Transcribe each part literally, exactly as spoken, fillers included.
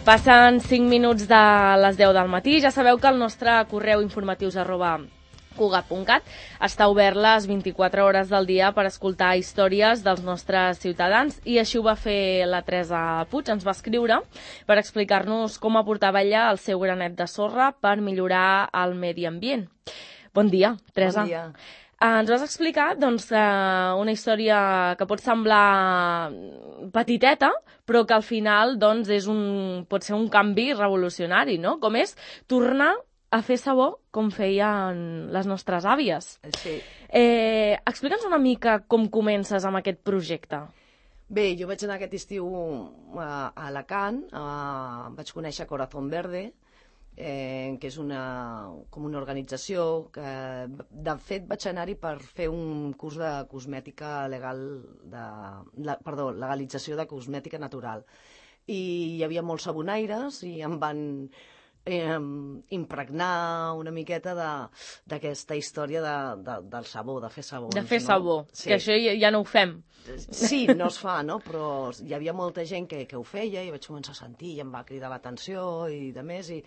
Passen cinc minuts de les deu del matí. Ja sabeu que el nostre correu informatius arroba cugat punt cat està obert les vint-i-quatre hores del dia per escoltar històries dels nostres ciutadans, i així ho va fer la Teresa Puig. Ens va escriure per explicar-nos com aportava ella el seu granet de sorra per millorar el medi ambient. Bon dia, Teresa. Bon dia. Ens vas explicar doncs, una història que pot semblar petiteta, però que al final doncs, és un, pot ser un canvi revolucionari, no? Com és tornar a fer sabó com feien les nostres àvies. Sí. Eh, Explica'ns una mica com comences amb aquest projecte. Bé, jo vaig anar aquest estiu a Alacant, a, vaig conèixer Corazón Verde, eh, que és una, com una organització que, de fet, vaig anar-hi per fer un curs de cosmètica legal, de, la, perdó, legalització de cosmètica natural. I hi havia molts sabonaires i em van eh, impregnar una miqueta d'aquesta història de, de, del sabó, de fer sabons. De fer no? sabó, sí. Que això ja, ja no ho fem. Sí, no es fa, no? Però hi havia molta gent que, que ho feia i vaig començar a sentir i em va cridar l'atenció i de més, i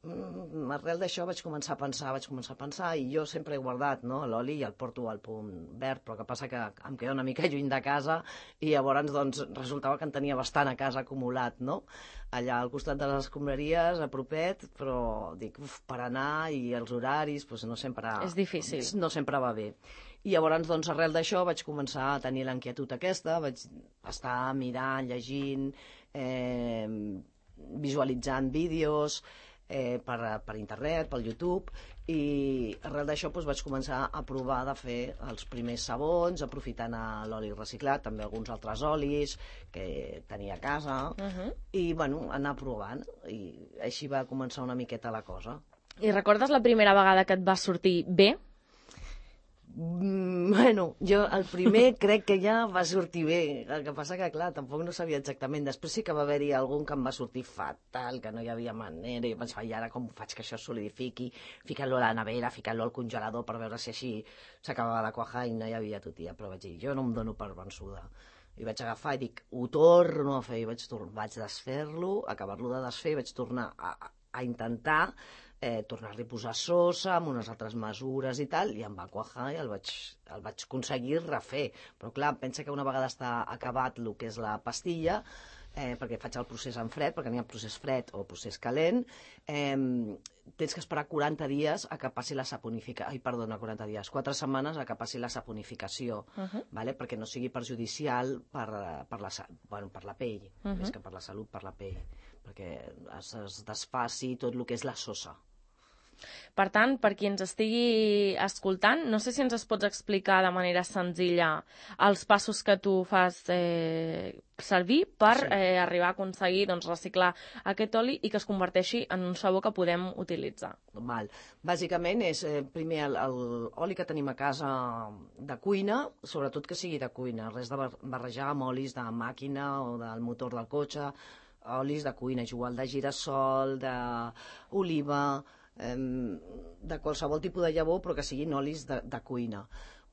mm, arrel d'això vaig començar a pensar, vaig començar a pensar, i jo sempre he guardat, no, l'oli i el porto al punt verd, però que passa que em queda una mica lluny de casa i llavors doncs, resultava que en tenia bastant a casa acumulat, no? Allà al costat de les escombraries, a propet, però dic, uf, per anar i els horaris, doncs no sempre... És difícil. No sempre va bé. I llavors, doncs, arrel d'això vaig començar a tenir l'inquietud aquesta, vaig estar mirant, llegint, eh, visualitzant vídeos eh, per, per internet, pel YouTube, i arrel d'això doncs, vaig començar a provar de fer els primers sabons, aprofitant l'oli reciclat, també alguns altres olis que tenia a casa, uh-huh. i bueno, anar provant, i així va començar una miqueta la cosa. I recordes la primera vegada que et va sortir bé? Mm, bueno, jo el primer crec que ja va sortir bé, el que passa que clar, tampoc no sabia exactament, després sí que va haver-hi algun que em va sortir fatal, que no hi havia manera, i pensava, i ara com faig que això es solidifiqui, ficant-lo a la nevera, ficant-lo al congelador per veure si així s'acabava de quajar, i no hi havia tutia, però vaig dir, jo no em dono per vençuda. I vaig agafar i dic, ho torno a fer, i vaig, vaig desfer-lo, acabar-lo de desfer, i vaig tornar a, a intentar Eh, tornar-li a posar sosa amb unes altres mesures i tal, i em va quajar i el vaig, el vaig aconseguir refer. Però clar, pensa que una vegada està acabat el que és la pastilla, eh, perquè faig el procés en fred, perquè n'hi ha procés fred o procés calent, eh, tens que esperar quaranta dies a que passi la saponificació, ai, perdona, quaranta dies, quatre setmanes a que passi la saponificació, uh-huh. vale? Perquè no sigui perjudicial per, per, la, bueno, per la pell, uh-huh. més que per la salut, per la pell, perquè es, es desfaci tot el que és la sosa. Per tant, per qui ens estigui escoltant, no sé si ens es pots explicar de manera senzilla els passos que tu fas eh, servir per sí. eh, arribar a aconseguir doncs, reciclar aquest oli i que es converteixi en un sabó que podem utilitzar. Val. Bàsicament és eh, primer l'oli que tenim a casa de cuina, sobretot que sigui de cuina, res de barrejar amb olis de màquina o del motor del cotxe, olis de cuina, igual de girassol, d'oliva, de qualsevol tipus de llavor, però que siguin olis de, de cuina.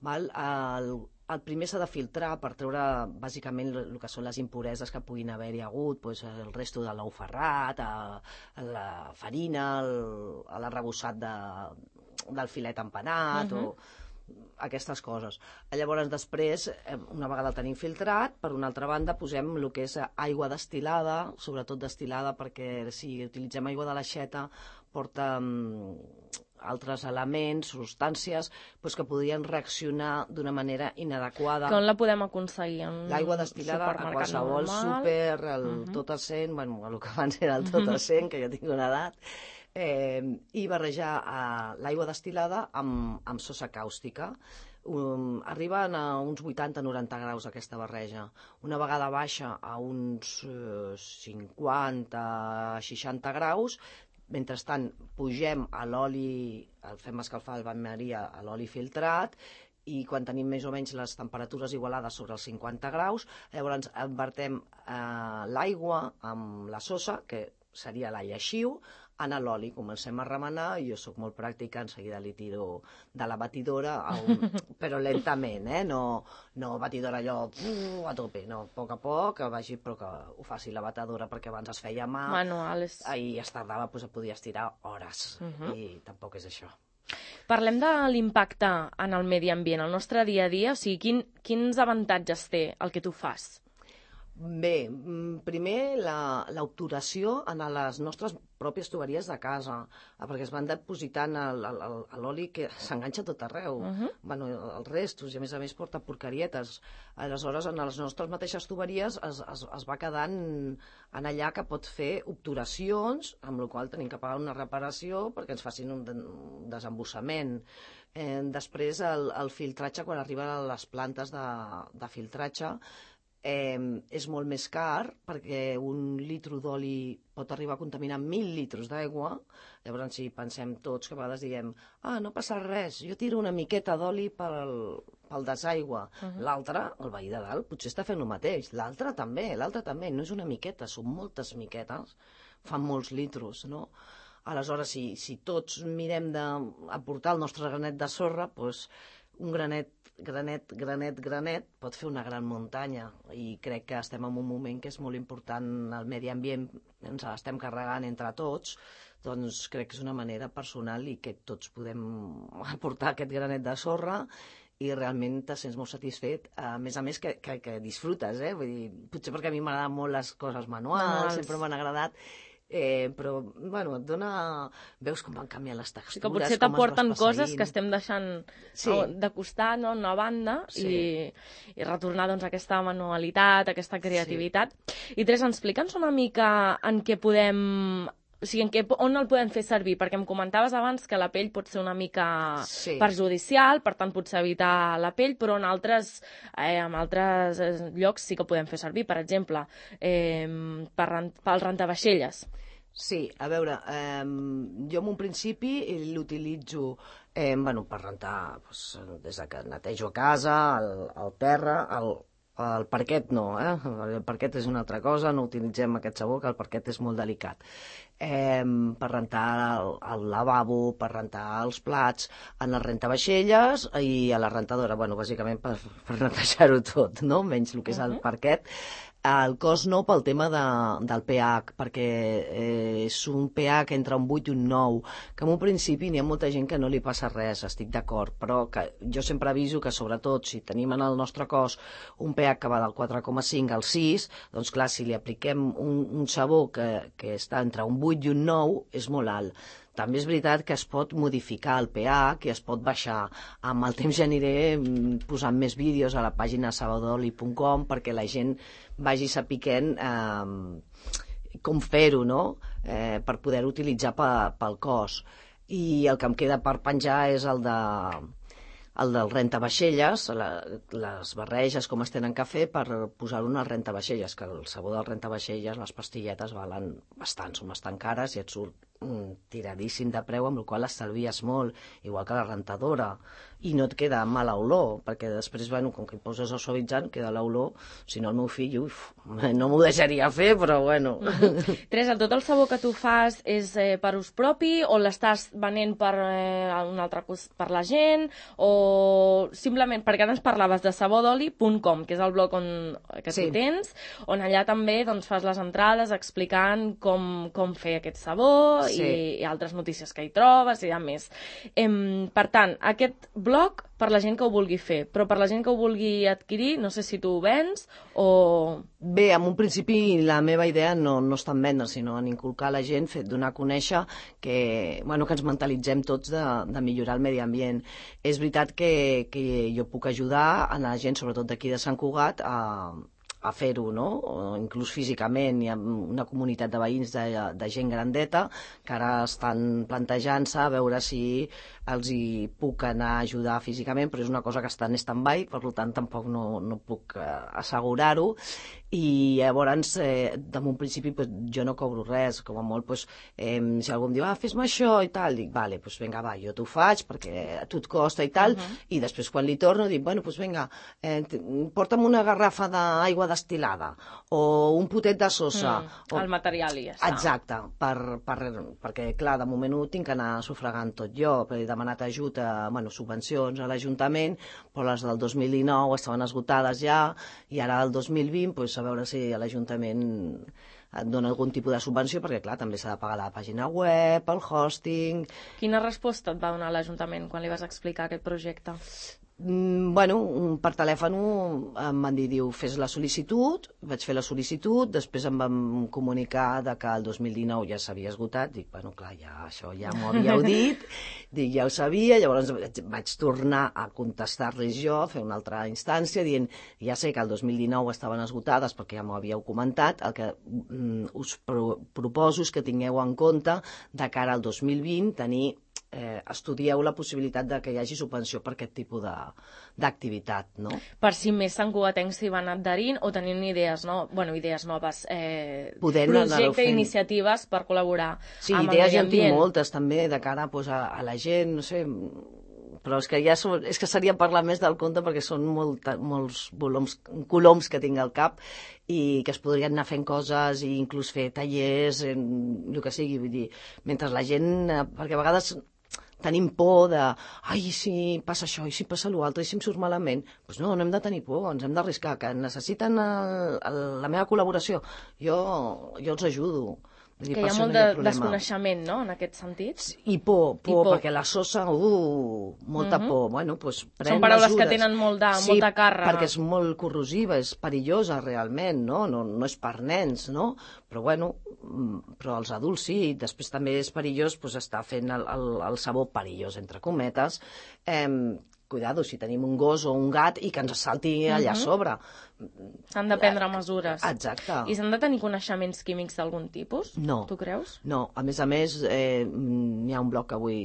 Val? El, el primer s'ha de filtrar per treure bàsicament el que són les impureses que puguin haver-hi hagut, doncs el resto de l'ou ferrat, a la farina, l'arrebossat de, del filet empanat, uh-huh. o aquestes coses. Llavors, després, una vegada el tenim filtrat, per una altra banda posem el que és aigua destil·lada, sobretot destil·lada perquè si utilitzem aigua de l'aixeta porta um, altres elements, substàncies, doncs que podrien reaccionar d'una manera inadequada. Com la podem aconseguir? L'aigua destil·lada a qualsevol súper, el uh-huh. tot a cent, bueno, el que abans era el tot a cent, que jo tinc una edat, eh, i barrejar eh, l'aigua destil·lada amb, amb sosa càustica. Um, arriben a uns vuitanta a noranta graus aquesta barreja. Una vegada baixa a uns eh, cinquanta a seixanta graus, mentrestant pugem a l'oli, el fem escalfar el bain-maria a l'oli filtrat, i quan tenim més o menys les temperatures igualades sobre els cinquanta graus, llavors envertem eh, l'aigua amb la sosa, que seria la lleixiu, en l'oli, comencem a remenar, jo sóc molt pràctica, en seguida li tiro de la batidora, a un... però lentament, eh? No, no batidora allò uh, a tope, no, a poc a poc, que vagi, però que ho faci la batedora, perquè abans es feia a mà, manuals. I es tardava, doncs, podia estirar hores, uh -huh. i tampoc és això. Parlem de l'impacte en el medi ambient, el nostre dia a dia, o sigui, quin, quins avantatges té el que tu fas? Bé, primer l'obturació en les nostres pròpies tuberies de casa, perquè es van depositant l'oli que s'enganxa tot arreu, uh -huh. bueno, els restos, i a més a més porta porcarietes. Aleshores, en les nostres mateixes tuberies es, es, es va quedant en allà que pot fer obturacions, amb la qual tenim que pagar una reparació perquè ens facin un, un desembussament. Eh, després, el, el filtratge, quan arriba a les plantes de, de filtratge, Eh, és molt més car perquè un litro d'oli pot arribar a contaminar mil litres d'aigua. Llavors, si pensem tots, que a vegades diem ah, no passa res, jo tiro una miqueta d'oli pel, pel desaigua. Uh -huh. L'altre, el veí de dalt, potser està fent el mateix. L'altre també, l'altre també. No és una miqueta, són moltes miquetes. Fan molts litros, no? Aleshores, si, si tots mirem d'aportar el nostre granet de sorra, doncs un granet granet, granet, granet, pot fer una gran muntanya, i crec que estem en un moment que és molt important, el medi ambient ens l'estem carregant entre tots, doncs crec que és una manera personal i que tots podem aportar aquest granet de sorra i realment te sents molt satisfet, a més a més que, que, que disfrutes, eh? Vull dir, potser perquè a mi m'agraden molt les coses manuals, manuals. Sempre m'han agradat, Eh, però, bueno, et dona... Veus com van canviar les textures, sí, que potser t'aporten coses que estem deixant sí. no, de costat, no, en una banda, sí. i, i retornar doncs, aquesta manualitat, aquesta creativitat. Sí. I Teresa, explica'ns una mica en què podem... O sigui, en què, on el podem fer servir? Perquè em comentaves abans que la pell pot ser una mica sí. perjudicial, per tant potser evitar la pell, però en altres, eh, en altres llocs sí que podem fer servir. Per exemple, eh, per, pel rentavaixelles. Sí, a veure, eh, jo en un principi l'utilitzo eh, bueno, per rentar doncs, des que netejo a casa, el, el terra, el, el parquet no, eh? El parquet és una altra cosa, no utilitzem aquest sabó, que el parquet és molt delicat. Eh, per rentar el, el lavabo, per rentar els plats, en les rentavaixelles i a la rentadora, bueno, bàsicament per, per netejar-ho tot, no? Menys el que és el parquet. El cos no pel tema de, del pH, perquè eh, és un pH entre un vuit i un nou, que en un principi n'hi ha molta gent que no li passa res, estic d'acord, però que jo sempre aviso que sobretot si tenim en el nostre cos un pH que va del quatre coma cinc al sis, doncs clar, si li apliquem un, un sabó que, que està entre un vuit i un nou, és molt alt. També és veritat que es pot modificar el pH, que es pot baixar. Amb el temps ja aniré posant més vídeos a la pàgina sabadoli punt com perquè la gent vagi sapiguent eh, com fer-ho, no? Eh, per poder utilitzar pel cos. I el que em queda per penjar és el de el del rentavaixelles, la, les barreges com es tenen que fer per posar-ho en el rentavaixelles, que el sabó del rentavaixelles, les pastilletes valen bastant, són bastant cares i et surt mm, tiradíssim de preu, amb el qual estalvies molt, igual que la rentadora, i no et queda mala olor, perquè després, bueno, com que hi poses el suavitzant, queda l'olor, si no el meu fill, uf, no m'ho deixaria fer, però bueno. Mm-hmm. Teresa, tot el sabó que tu fas és eh, per ús propi, o l'estàs venent per, eh, un altre cos, per la gent, o simplement, perquè ara ens parlaves de sabadoli punt com, que és el blog on, que sí. tu tens, on allà també doncs, fas les entrades explicant com, com fer aquest sabó sí. i, i altres notícies que hi trobes i a més. Em, per tant, aquest blog per la gent que ho vulgui fer, però per la gent que ho vulgui adquirir, no sé si tu ho vens o... Bé, en un principi la meva idea no, no està en vendre, sinó en inculcar a la gent, fet donar a conèixer que, bueno, que ens mentalitzem tots de, de millorar el medi ambient. És veritat que, que jo puc ajudar a la gent, sobretot d'aquí de Sant Cugat, a, a fer-ho, no? O inclús físicament. Hi ha una comunitat de veïns de, de gent grandeta que ara estan plantejant-se a veure si els hi puc anar a ajudar físicament, però és una cosa que està en stand-by, per tant tampoc no, no puc eh, assegurar-ho. I llavors, eh, de un principi, pues, jo no cobro res, com a molt, pues, eh, si algú em diu, ah, fes-me això i tal, dic, vale, pues vinga, va, jo t'ho faig perquè a tu et costa i tal, uh -huh. i després quan li torno dic, bueno, pues vinga, eh, porta'm una garrafa d'aigua destil·lada, o un potet de sosa. Mm, o... El material i ja està. Exacte, per, per, perquè, clar, de moment ho tinc que anar sufragant tot jo, perquè he demanat ajut a, bueno, subvencions a l'Ajuntament, però les del dos mil dinou estaven esgotades ja, i ara el dos mil vint, pues, a veure si a l'Ajuntament et dona algun tipus de subvenció, perquè, clar, també s'ha de pagar la pàgina web, el hosting... Quina resposta et va donar l'Ajuntament quan li vas explicar aquest projecte? Mm, bueno, per telèfon em van dir, diu, fes la sol·licitud, vaig fer la sol·licitud, després em van comunicar de que el dos mil dinou ja s'havia esgotat, dic, bueno, clar, ja, això ja m'ho havíeu dit, dic, ja ho sabia, llavors vaig tornar a contestar-los jo, a fer una altra instància, dient, ja sé que el dos mil dinou estaven esgotades perquè ja m'ho havíeu comentat, el que mm, us pro proposo és que tingueu en compte de cara al dos mil vint tenir Eh, estudieu la possibilitat de que hi hagi subvenció per aquest tipus d'activitat, no? Per si més santcugatencs s'hi van adherint o tenint idees, no? Bueno, idees noves, eh, projectes, iniciatives per col·laborar sí, amb el idees medi ja en tinc ambient. moltes també de cara pues, a, a la gent, no sé, però és que ja són, és que seria parlar més del conte perquè són molt, molts volums, coloms que tinc al cap i que es podrien anar fent coses i inclús fer tallers, en, el que sigui, vull dir, mentre la gent, perquè a vegades tenim por de, ai, si passa això, i si passa l'altre, i si em surt malament. Doncs pues no, no hem de tenir por, ens hem d'arriscar, que necessiten el, el, la meva col·laboració. Jo, jo els ajudo. Dir, que hi ha molt de desconeixement, no?, en aquest sentit. I por, por, I por. perquè la sosa, uh, molta uh -huh. por. Bueno, pues, pren Són paraules mesures. que tenen molt de, sí, molta càrrega. perquè és molt corrosiva, és perillosa realment, no? No, no és per nens, no? Però bueno, però els adults sí. Després també és perillós pues, estar fent el, el, el sabó perillós, entre cometes, eh, cuidado, si tenim un gos o un gat i que ens salti allà a sobre. S'han de prendre mesures. Exacte. I s'han de tenir coneixements químics d'algun tipus? No. Tu creus? No. A més a més, eh, hi ha un blog que avui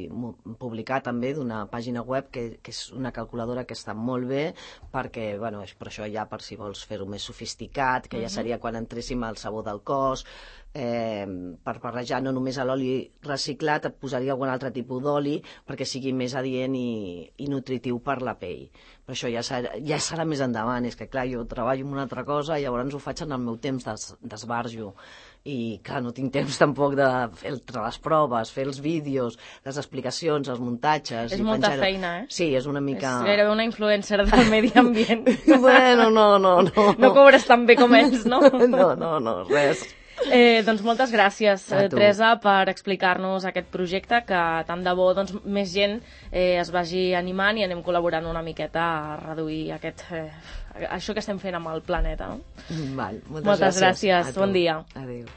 publicat també d'una pàgina web que, que és una calculadora que està molt bé perquè, bueno, és per això ja per si vols fer-ho més sofisticat, que ja seria quan entréssim al sabó del cos, eh, per barrejar no només l'oli reciclat, et posaria algun altre tipus d'oli perquè sigui més adient i, i nutritiu per la pell. Però això ja serà, ja serà més endavant. És que, clar, jo treballo en una altra cosa i llavors ho faig en el meu temps d'esbarjo. I, clar, no tinc temps tampoc de fer les proves, fer els vídeos, les explicacions, els muntatges... És molta feina, eh? Sí, és una mica... És gairebé una influencer del medi ambient. Bueno, no, no, no. No cobres tan bé com ells, no? No, no, no, res. Eh, doncs moltes gràcies, eh, Teresa, per explicar-nos aquest projecte, que tant de bo doncs, més gent eh, es vagi animant i anem col·laborant una miqueta a reduir aquest, eh, això que estem fent amb el planeta. No? Val, moltes, moltes gràcies. gràcies. Bon dia. Adéu.